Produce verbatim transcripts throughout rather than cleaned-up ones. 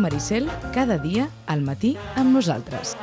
Maricel, cada dia al matí amb nosaltres.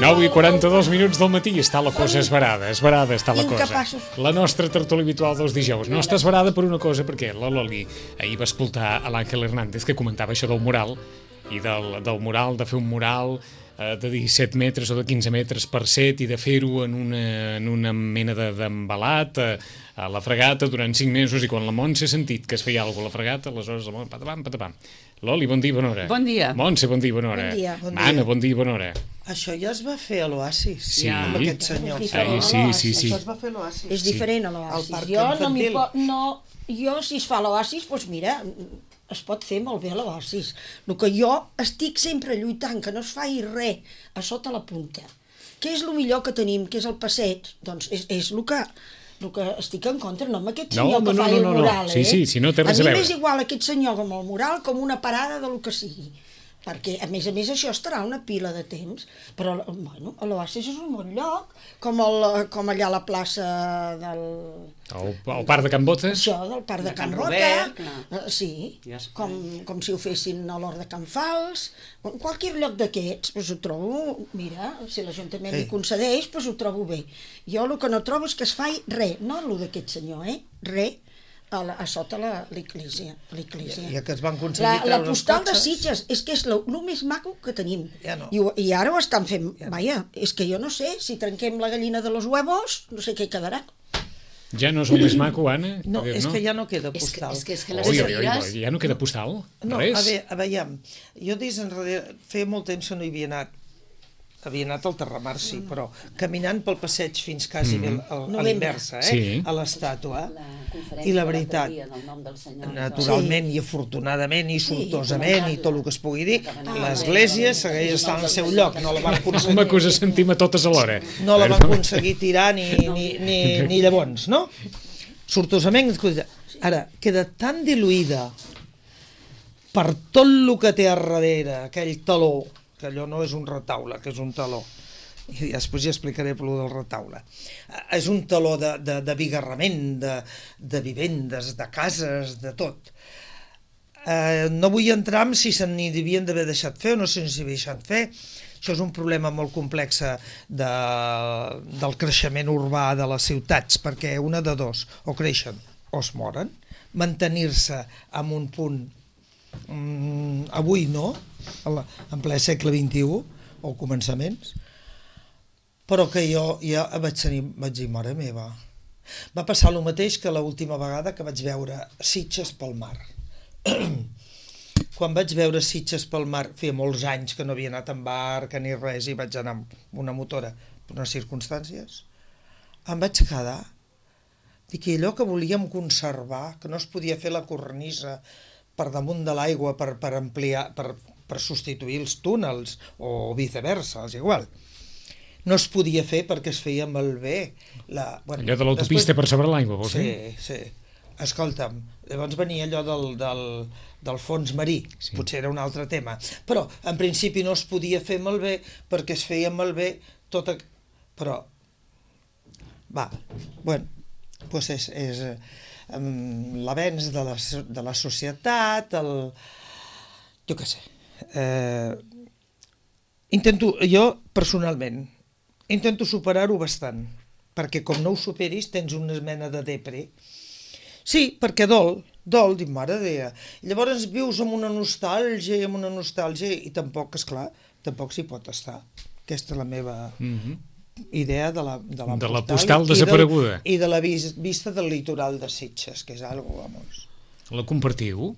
nou i quaranta-dos minuts del matí, està la cosa esverada, esverada està la cosa. Incapaços. La nostra tertúlia habitual dels dijous. No està esverada per una cosa, perquè la Loli ahir va escoltar a l'Àngel Hernández que comentava això del mural, i del, del mural, de fer un mural eh, de disset metres o de quinze metres per set i de fer-ho en, una, en una mena d'embalat eh, a la fregata durant cinc mesos, i quan la Montse ha sentit que es feia alguna cosa a la fregata, aleshores la Montse, patapam, patapam. Loli, bon dia, bona hora. Bon dia. Montse, bon dia, bona hora. Bon dia. Bon Anna, dia. bon dia, bona hora. Això ja es va fer a l'Oasis, Sí. amb aquest senyor. Ai, sí, sí, sí. Això es va fer a l'Oasis. És diferent a Al l'oasis. parc Jo no m'hi infantil. po... no, jo si es fa a l'oasis, doncs mira, es pot fer molt bé a l'oasis. El que jo estic sempre lluitant, que no es faci res a sota la punta. Què és el millor que tenim, que és el passeig? Doncs és, és el que... el que estic en contra, no amb aquest No, senyor no, que no, fa no, el no, no. mural, Sí, eh? sí, si no té res a mi veure. m'és igual aquest senyor com el mural, com una parada de lo que sigui. Perquè, a més a més, això estarà una pila de temps, però, bueno, a l'Oasis és un bon lloc, com, el, com allà a la plaça del... El, el parc de Can Botes? Això, del parc de, De Can Can Rota, Robert, clar. eh, sí, Ja es com, com si ho fessin a l'Hort de Can Fals, en qualsevol lloc d'aquests, doncs ho trobo, mira, si l'Ajuntament Sí. li concedeix, doncs ho trobo bé. Jo el que no trobo és que es faci res, no el d'aquest senyor, eh, res, a, la, a sota la- l'església. Ja que es van aconseguir La, la treure els postal de cotxes. Sitges, és que és el més maco que tenim. Ja no. I, ho- I ara ho estan fent, vaja, és que jo no sé, si trenquem la gallina de los huevos, no sé què quedarà. Ja no és el més maco, Anna? No, A veure, és que ja no queda És que, postal. és que, és que les Oi, oi, oi, cadires... ja no queda postal? No, Res? a veure, a veure, jo des enrere, feia molt temps que no hi havia anat, havia anat al Terramar, sí, però caminant pel passeig fins quasi mm -hmm. a, a Novembre. l'inversa, eh? Sí. A l'estàtua, conferència i la de veritat, l'altre dia del nom del senyor. naturalment Sí. i afortunadament i sortosament i tot el que es pugui dir, Ah, l'església segueix estant al seu lloc, no la van Home, aconseguir, que us sentim a totes alhora. no la van aconseguir tirar ni, ni, ni, ni llavors, no? Sortosament, escolta, ara, queda tan diluïda per tot el que té a darrere, aquell taló, que allò no és un retaule, que és un taló, i després ja explicaré per del retaule. Eh, És un taló de, de, de bigarrament, de, de vivendes, de cases, de tot. Eh, no vull entrar en si se n'hi devien d'haver deixat fer o no se n'hi havia deixat fer. Això és un problema molt complex de, del creixement urbà de les ciutats, perquè una de dos, o creixen o es moren. Mantenir-se en un punt, mm, avui no, en ple segle vint-i-u, o començaments, però que jo ja vaig tenir, vaig dir, mare meva, va passar el mateix que l'última vegada que vaig veure Sitges pel mar. Quan vaig veure Sitges pel mar, feia molts anys que no havia anat en barca ni res, i vaig anar amb una motora per unes circumstàncies, em vaig quedar. Dic, i allò que volíem conservar, que no es podia fer la cornisa per damunt de l'aigua per, per ampliar, per, per substituir els túnels, o viceversa, és igual. No es podia fer perquè es feia malbé. La, bueno, Allò de l'autopista després- per sobre l'aigua, vols dir? Sí, sí. Escolta'm, llavors venia allò del, del, del fons marí, Sí. sí. Potser era un altre tema, però en principi no es podia fer malbé perquè es feia malbé tota... Però, va, bueno, doncs és, és um, l'avenç de, la, so- de la societat, el... jo què sé. Eh, intento, jo personalment, intento superar-ho bastant, perquè com no ho superis tens una mena de depre. Sí, perquè dol, dol, dic, mare Déu. Llavors vius amb una nostàlgia i amb una nostàlgia i tampoc, esclar, tampoc s'hi pot estar. Aquesta és la meva Mhm. idea de la, de la, De la postal, postal i del- desapareguda. i de la vis, vista del litoral de Sitges, que és algo, vamos. La compartiu?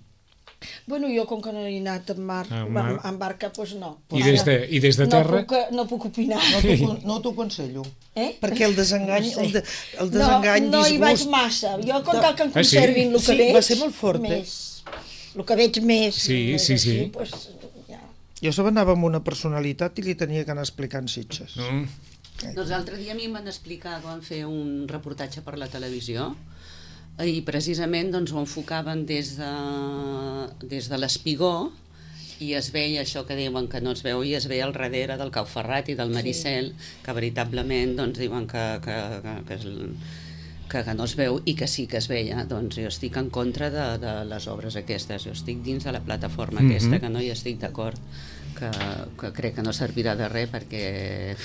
Bueno, jo com que no he anat en, mar, Ah, en, mar. en barca, doncs no. I des de, i des de terra? No puc, no puc opinar. No t'ho no t'ho aconsello. Eh? Perquè el desengany, No sé. el, de, el desengany, no, no hi vaig disgust... massa. Jo com No. cal que em Ah, sí? conservin el que Sí, veig... va ser molt fort, eh? més, el que veig més... Sí, més sí, així, sí. Doncs, ja. Jo se anava amb una personalitat i li tenia que anar explicant Sitges. Mm. Doncs l'altre dia a mi em van explicar que van fer un reportatge per la televisió i precisament doncs, ho enfocaven des de, des de l'espigó i es veia això que diuen que no es veu i es veia al darrere del Cau Ferrat i del Maricel, sí. que veritablement doncs, diuen que, que, que, que, és, que, que no es veu i que sí que es veia. Doncs jo estic en contra de, de les obres aquestes, jo estic dins de la plataforma mm-hmm. aquesta, que no hi estic d'acord, que, que crec que no servirà de res perquè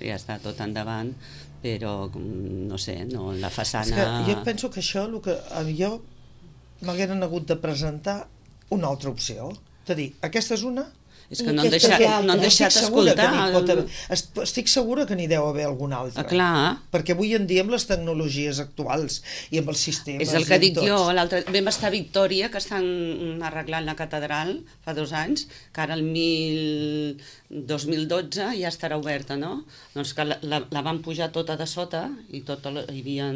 ja està tot endavant, però no sé, no, la façana... És que jo penso que això, el que jo m'hagueren hagut de presentar una altra opció, de dir, aquesta és una... És que no han deixat, no han deixat escoltar. Haver, estic segura que n'hi deu haver alguna altra. Ah, clar. Perquè avui en dia amb les tecnologies actuals i amb els sistemes... És el que dic jo. Vam estar a Victòria, que estan arreglant la catedral fa dos anys, que ara el mil, dos mil dotze ja estarà oberta, no? Doncs que la, la, la van pujar tota de sota i tota la, hi havia...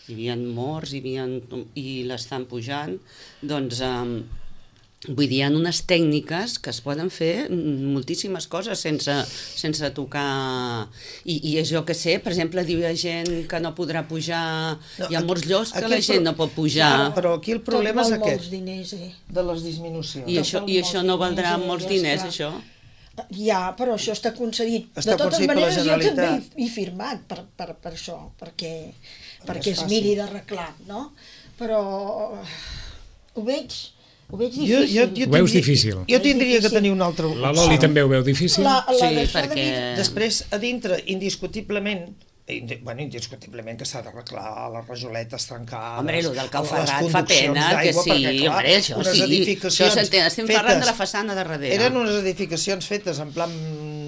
hi havia morts, hi havia, i l'estan pujant, doncs... Eh, vull dir, hi ha unes tècniques que es poden fer moltíssimes coses sense, sense tocar... I, I és jo que sé, per exemple, diu hi ha gent que no podrà pujar... No, hi ha molts llocs que la gent no pot pujar. Ja, però aquí el problema és aquest. Molts diners, eh? De les disminucions. I això, i això no valdrà molts diners, això? Ja, però això està concedit. Està de totes concedit per la maneres, jo també Generalitat. he, he firmat per, per, per això, perquè, perquè es miri d'arreglar, no? Però ho veig... Ho veig difícil. Jo, jo, jo Ho veus tindria, difícil. Jo tindria que tenir una altra... La Loli també ho veu difícil? La, la Sí, d'això de perquè... vidre- Després, a dintre, indiscutiblement, indi- bueno, indiscutiblement que s'ha d'arreglar les rajoletes trencades... Hombre, el del Cau les Ferrat fa pena que d'aigua, sí, perquè, clar, hombre, això unes sí. edificacions Això s'entén, estem fetes- parlant de la façana de darrere. Eren unes edificacions fetes en plan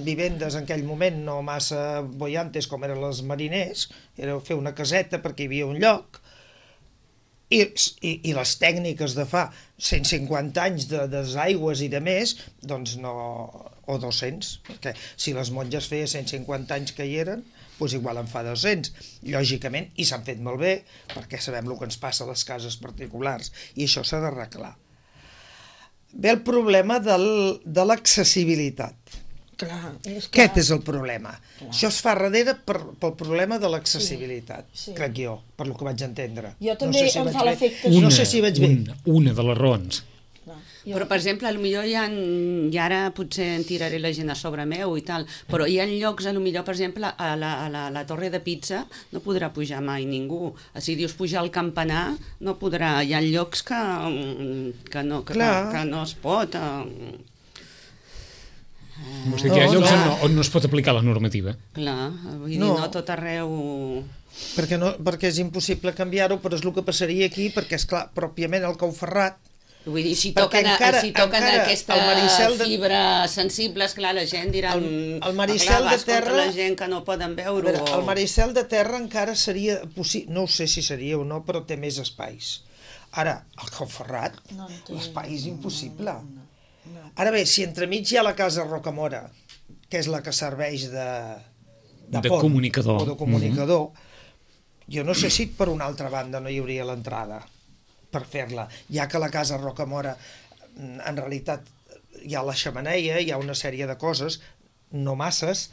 vivendes en aquell moment, no massa boiantes com eren les mariners, era fer una caseta perquè hi havia un lloc, I, i, i les tècniques de fa cent cinquanta anys de desaigües i de més, doncs no... o dos-cents, perquè si les monges feia cent cinquanta anys que hi eren, doncs igual en fa dos-cents, lògicament, i s'han fet molt bé, perquè sabem el que ens passa a les cases particulars, i això s'ha d'arreglar. Ve el problema del, de l'accessibilitat. Clar, és que... Aquest és el problema. Clar. Això es fa darrere per, pel problema de l'accessibilitat, Sí, sí. crec jo, per lo que vaig entendre. Jo també si em vaig fa bé. l'efecte... No sé si veig bé. Una, una de les raons. Clar, jo- Però, per exemple, potser hi ha, i ara potser en tiraré la gent a sobre meu i tal, però hi ha llocs, potser, per exemple, a la, a la, a la Torre de Pizza no podrà pujar mai ningú. Si dius pujar al campanar, no podrà. Hi ha llocs que, que, no, que, Clar. que no es pot... Eh, Vols dir que hi ha No, llocs no. on no, on no es pot aplicar la normativa? clar, vull dir, No. no tot arreu... Perquè, no, perquè és impossible canviar-ho, però és el que passaria aquí, perquè, és clar, pròpiament el Cau Ferrat, Vull dir, si Perquè toquen, encara- si toquen encara aquesta el Maricel de- fibra sensible, esclar, la gent dirà... El- "Mm, el Maricel clar, de vas contra terra- la gent que no poden a veure-ho. veure, el Maricel de terra encara seria possible, no ho sé si seria o no, però té més espais. Ara, el Cau Ferrat, No en té, l'espai és impossible. Ara bé, si entremig hi ha la casa Rocamora, que és la que serveix de, de, De pont, comunicador. o de comunicador, jo no sé si per una altra banda no hi hauria l'entrada per fer-la, ja que la casa Rocamora en realitat hi ha la xemeneia, hi ha una sèrie de coses, no masses,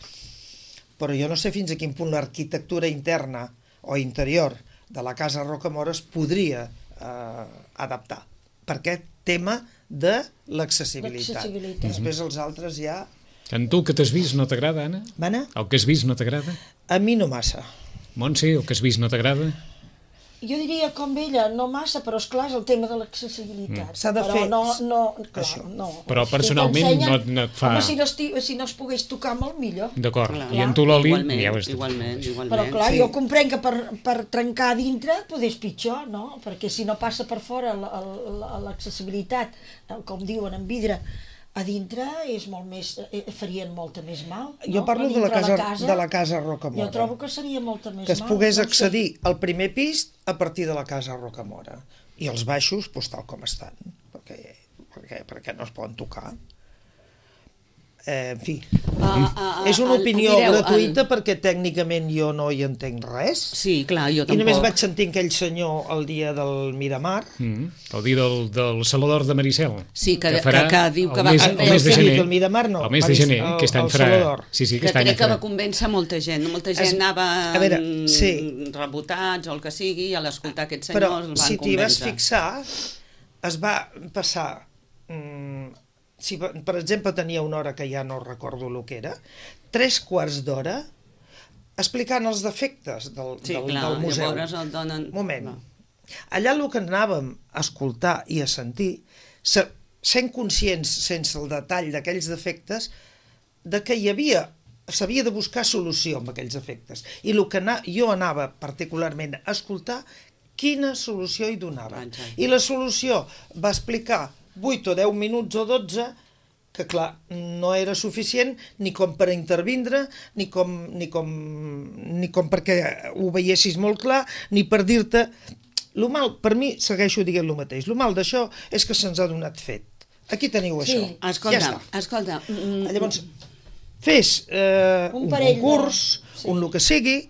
però jo no sé fins a quin punt l'arquitectura interna o interior de la casa Rocamora es podria eh, adaptar per aquest tema de l'accessibilitat. L'accessibilitat. Després els altres ja... En tu, el que t'has vist, no t'agrada, Anna? Mana? El que has vist no t'agrada? A mi no massa. Montse, el que has vist no t'agrada? Jo diria com ella, no massa, però esclar és el tema de l'accessibilitat. Mm. S'ha de però fer- no, no, clar, Això. no. Però Si personalment t'ensenyen- no- no et fa- Home, si no, esti... si no es pogués tocar, molt millor. D'acord. Clar. I en tu, Loli, Igualment, ja ho has dit. igualment, igualment. Però clar, sí. jo comprenc que per, per trencar a dintre podés pitjor, no? Perquè si no passa per fora la- la- l'accessibilitat, eh, com diuen, en vidre, A dintre és molt més, eh, farien molta més mal. Jo no? parlo A de la, dintre casa, de la casa Rocamora. Jo trobo que seria molta més mal. Que es pogués no accedir al primer pis a partir de la casa Rocamora. I els baixos, doncs, tal com estan, perquè, perquè, perquè no es poden tocar. Eh, en fi, Ah, ah, és una el- opinió mireu, gratuïta el- perquè tècnicament jo no hi entenc res. Sí, clar, jo I tampoc. només vaig sentir aquell senyor el dia del Miramar. Mm. El dia del, del Saló d'Or de Maricel. Sí, que- farà que- que diu que el va- mes, el el mes de sí, gener. el Miramar no, El mes de Maris- gener, el- aquest any el farà... Saló d'Or. Sí, sí, Que aquest any crec que farà. va convèncer molta gent. Molta gent Es- anava a veure, mm, sí. rebotats o el que sigui, i a l'escoltar aquests Però senyors el van si t'hi vas convèncer. fixar, es va passar... Mm, si, per exemple, tenia una hora que ja no recordo el que era, tres quarts d'hora explicant els defectes del, Sí, del, clar, del museu. llavors el donen... Moment. No. Allà el que anàvem a escoltar i a sentir, se- sent conscients, sense el detall d'aquells defectes, de que hi havia, s'havia de buscar solució amb aquells defectes. I el que ana, jo anava particularment a escoltar, quina solució hi donava. Exacte. I la solució va explicar vuit o deu minuts o dotze, que clar, no era suficient ni com per intervindre, ni com, ni com, ni com perquè ho veiessis molt clar, ni per dir-te... Lo mal, per mi, segueixo dient el mateix, lo mal d'això és que se'ns ha donat fet. Aquí teniu Sí. això. Escolta, ja està. escolta... mm, Llavors, fes eh, Un un, parell de- concurs, sí. un el que sigui,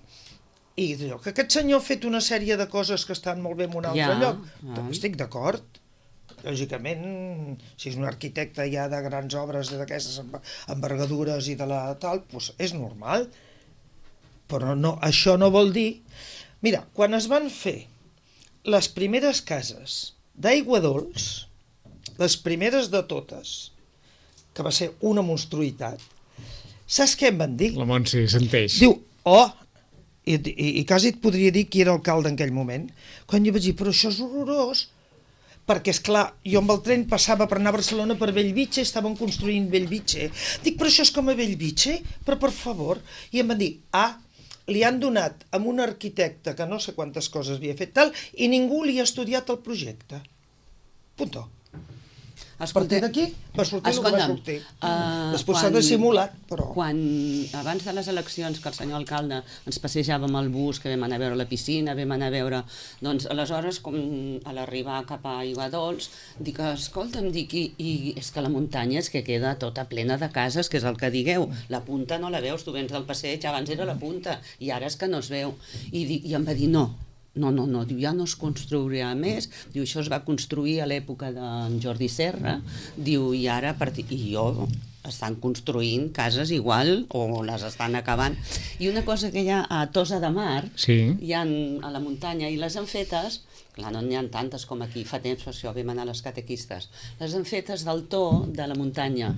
i allò, que aquest senyor ha fet una sèrie de coses que estan molt bé en un altre Ja, lloc. ja. Estic d'acord. Lògicament, si és un arquitecte ja de grans obres d'aquestes enver- envergadures i de la tal, doncs és normal. Però no, això no vol dir... Mira, quan es van fer les primeres cases d'aigua dolç, les primeres de totes, que va ser una monstruïtat, saps què em van dir? La Montse senteix. Diu, oh, i, i, i quasi et podria dir qui era alcalde en aquell moment, quan jo vaig dir, però això és horrorós, perquè, és clar, jo amb el tren passava per anar a Barcelona per Bellvitge, estaven construint Bellvitge. Dic, però això és com a Bellvitge? Però, per favor. I em van dir, ah, li han donat a un arquitecte que no sé quantes coses havia fet tal, i ningú li ha estudiat el projecte. Punto. A partir d'aquí va sortir el que va sortir. Uh, Després s'ha dissimulat, però... Quan, abans de les eleccions, que el senyor alcalde ens passejava amb el bus, que vam anar a veure la piscina, vam anar a veure... Doncs, aleshores, com a l'arribar cap a Aigua Dols, dic, escolta'm, dic, i, i és que la muntanya és que queda tota plena de cases, que és el que digueu. La punta no la veus, tu vens del passeig, abans era la punta, i ara és que no es veu. I, dic, i em va dir, no, no, no, no, diu, ja no es construirà més, diu, això es va construir a l'època d'en Jordi Serra, diu, i ara, a partir... i jo, estan construint cases igual, o les estan acabant. I una cosa que hi ha a Tossa de Mar, Sí. hi ha a la muntanya, i les han fetes, clar, no n'hi ha tantes com aquí, fa temps, per això vam anar a les catequistes, les han fetes del to de la muntanya,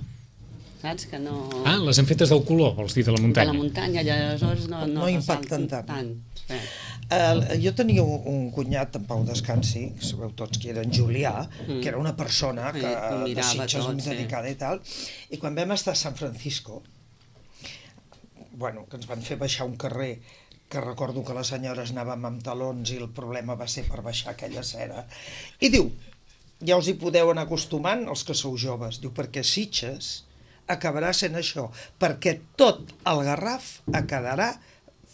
saps? Que no... Ah, les han fetes del color, vols dir, de la de muntanya. la muntanya, i aleshores no, no, No impacten ressalten tant. Sí. Uh, jo tenia un, un cunyat, en Pau Descansi, que sabeu tots qui era en Julià, Mm. que era una persona que, Sí, ho de mirava Sitges tot, molt sí. dedicada i tal, i quan vam estar a San Francisco, bueno, que ens van fer baixar un carrer que recordo que les senyores anàvem amb talons i el problema va ser per baixar aquella cera, i diu, ja us hi podeu anar acostumant els que sou joves, diu, perquè Sitges acabarà sent això, perquè tot el Garraf quedarà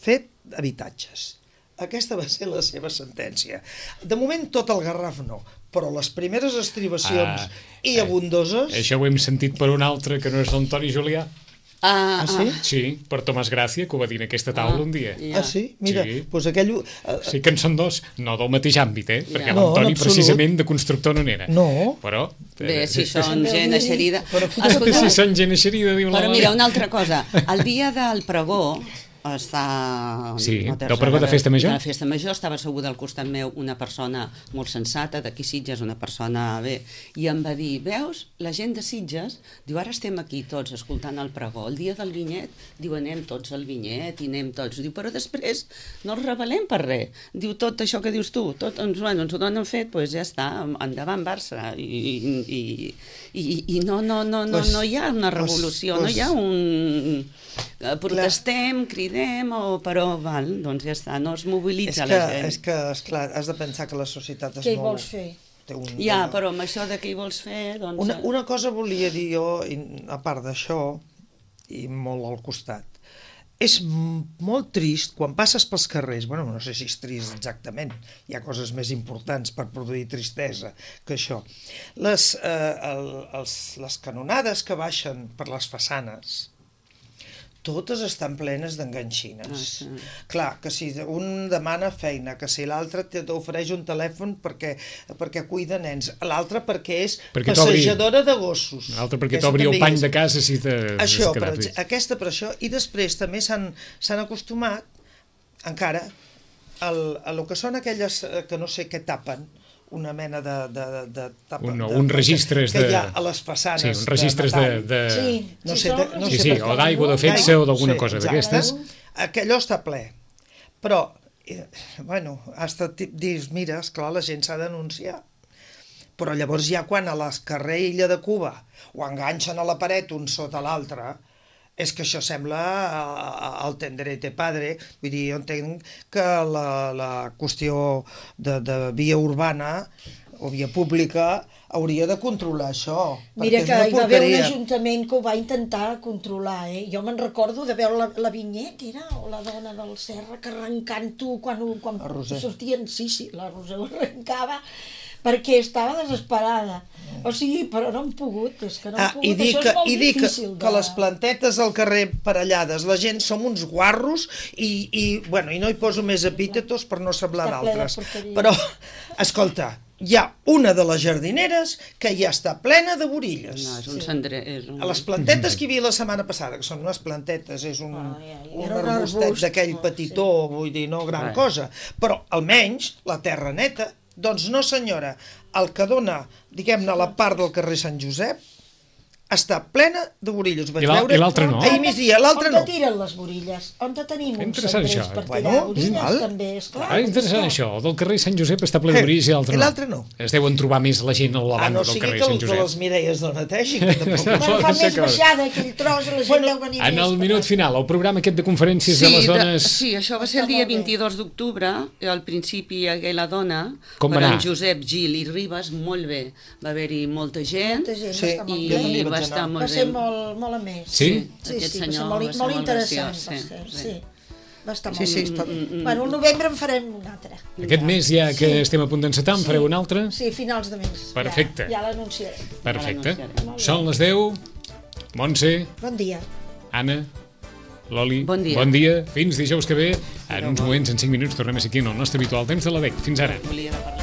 fet d'habitatges. Aquesta va ser la seva sentència. De moment tot el Garraf no, però les primeres estribacions Ah, i abundoses... Això ho hem sentit per un altre que no és l'Antoni Julià. Ah, Ah, sí? Sí, per Tomàs Gràcia, que ho va dir en aquesta taula un dia. ja. Ah, sí? Mira, Sí. doncs aquell... eh, Sí que en són dos, no del mateix àmbit, eh? Perquè Ja. No, l'Antoni en absolut. precisament de constructor no n'era. No. Però... Bé, si sí, són gent eixerida... Però Escolta, si són gent eixerida, diu la Però Lola. mira, una altra cosa. El dia del pregó està... Sí, no té del res pregó a de veure. Festa Major? De la Festa Major, estava asseguda al costat meu una persona molt sensata, d'aquí Sitges, una persona bé, i em va dir, veus, la gent de Sitges, diu, ara estem aquí tots escoltant el pregó, el dia del vinyet, diu, anem tots al vinyet i anem tots, diu, però després no els rebel·lem per res, diu, tot això que dius tu, tot, doncs, bueno, ens ho donen fet, doncs ja està, endavant Barça, i, i, i, i, i no, no, no, no, Pues- no hi ha una pues- revolució, no pues- hi ha un... eh, protestem, cridem, o, però val, doncs ja està, no es És mobilitza que, la gent. és que, esclar, has de pensar que la societat es Què hi mou... vols fer? Té un, Ja, una... però amb això de què hi vols fer, doncs... Una, una cosa volia dir jo, a part d'això, i molt al costat, és molt trist quan passes pels carrers, bueno, no sé si és trist exactament, hi ha coses més importants per produir tristesa que això. Les, eh, el, els, les canonades que baixen per les façanes, totes estan plenes d'enganxines. Ah, sí. Clar, que si un demana feina, que si l'altre t'ofereix un telèfon perquè, perquè cuida nens, l'altre perquè és perquè passejadora de gossos. L'altre perquè t'obri el pany de casa si t'has això, quedat per, aquesta per això, i després també s'han acostumat encara al, a lo que són aquelles que no sé què tapen, una mena de... de, de, de un, no, de, un registres que de... hi ha a les façanes. Sí, un registres de... de... Sí, no sí, sé, de, no sí, sé sí, per o què. d'aigua, de fetge o d'alguna Sí, cosa exacte. d'aquestes. Aquellò està ple. Però, eh, bueno, hasta dius, mira, esclar, la gent s'ha d'anunciar. Però llavors ja quan a l'escarrer Illa de Cuba ho enganxen a la paret un sota l'altre, és que això sembla el tenderete padre, vull dir, jo entenc que la, la qüestió de, de via urbana o via pública hauria de controlar això. Mira que hi va haver un ajuntament que ho va intentar controlar, eh? Jo me'n recordo de veure la, la vinyeta, era, o la dona del Serra, que arrencant-ho quan, quan sortien, sí, sí, la Roser ho arrencava, perquè estava desesperada. O sigui, però no han pogut, és que no han ah, pogut, i dic això que, és molt i dic difícil. Que, de... que les plantetes al carrer parellades, la gent som uns guarros i, i, bueno, i no hi poso més epítetos per no semblar d'altres. Però, escolta, hi ha una de les jardineres que ja està plena de borilles. No, és un cendrer... És un... A les plantetes que hi havia la setmana passada, que són unes plantetes, és un, Ah, ja, ja. un Era un arbustet arbust. d'aquell Ah, petitó, vull dir, no gran Res. cosa, però almenys la terra neta. Doncs no senyora, el que dona, diguem-ne, la part del carrer Sant Josep està plena de borilles. Vaig I l'al- veure i l'altre no? ahir migdia, l'altre On no. te tiren les borilles? On te tenim uns Interessant, cendrers això. per Bueno, tirar borilles, val. també, esclar. Ah, interessant això, el del carrer Sant Josep està ple de Eh, borilles i l'altre i no. l'altre no. Es deuen trobar més la gent a la Ah, banda no del sigui carrer que Sant els de Josep. les Mireies no netegin, que tampoc... Bueno, fa Pot ser més que- baixada aquell tros, la gent Bueno, deu venir En més. el per minut tant. final, el programa aquest de conferències de les dones... sí, això va ser el Està dia molt bé. vint-i-dos d'octubre, al principi hi hagué la dona, Com va per anar? en Josep Gil i Ribas, molt bé. Va haver-hi molta gent, Molta gent, Sí, va estar molt i jo també bé. vaig va anar. estar Va molt ser bé. molt, molt amès. Sí? Sí, Aquest sí, va ser senyor molt, va ser molt molt interessant. graciós, Va sí, ser, sí. sí. Va estar Sí, molt sí, bé. està... Bueno, al novembre en farem un altre. Aquest mes ja que Sí. estem a punt d'encetar, en fareu un altre? Sí, finals de mes. Perfecte. Ja, ja l'anunciarem. Perfecte. l'anunciarem. Són les deu. Montse, Bon dia. Anna, Loli, Bon dia. bon dia. Fins dijous que ve. En uns moments, en cinc minuts, tornem a ser aquí en el nostre habitual temps de la D E C. Fins ara. Volia parlar.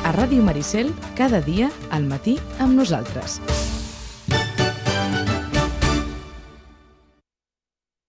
A Ràdio Maricel, cada dia al matí amb nosaltres.